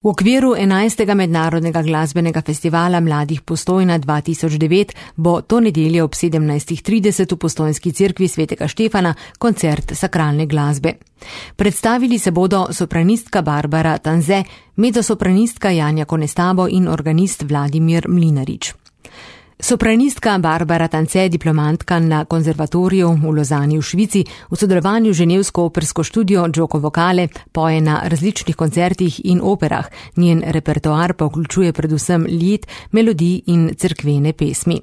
V okviru 11. mednarodnega glasbenega festivala Mladih Postojna 2009 bo to nedeljo ob 17:30 v Postojnski cerkvi svetega Štefana koncert sakralne glasbe. Predstavili se bodo sopranistka Barbara Tanze, mezzosopranistka Janja Konestabo in organist Vladimir Mlinarič. Sopranistka Barbara Tanze, diplomantka na konzervatoriju v Lozani v Švici, v sodelovanju z ženevsko opersko študijo Gioco Vocale poje na različnih koncertih in operah. Njen repertoar pa vključuje predvsem lied, melodij in cerkvene pesmi.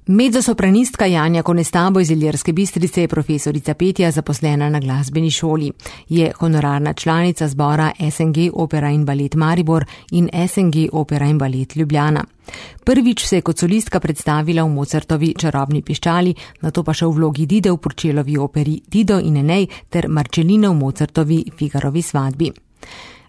Mezzosopranistka Janja Konestabo iz Ilirske Bistrice je profesorica petja zaposlena na glasbeni šoli. Je honorarna članica zbora SNG Opera in Balet Maribor in SNG Opera in Balet Ljubljana. Prvič se je kot solistka predstavila v Mozartovi Čarobni piščali, nato pa še v vlogi Dide v Purcellovi operi Dido in Enej ter Marčeline v Mozartovi Figarovi svadbi.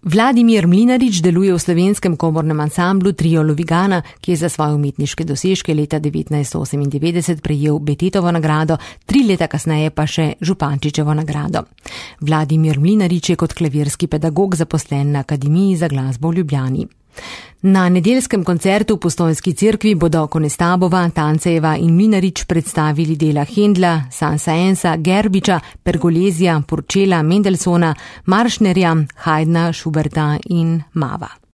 Vladimir Mlinarič deluje v slovenskem komornem ansamblu Trio Lovigana, ki je za svoje umetniške dosežke leta 1998 prejel Betetovo nagrado, 3 leta kasneje pa še Župančičevo nagrado. Vladimir Mlinarič je kot klavirski pedagog zaposlen na Akademiji za glasbo v Ljubljani. Na nedeljskem koncertu v Postojnski cerkvi bodo Konestabova, Tancejeva in Mlinarič predstavili dela Händla, Saint-Saënsa, Gerbiča, Pergolesija, Purcella, Mendelssohna, Marschnerja, Haydna, Schuberta in Mava.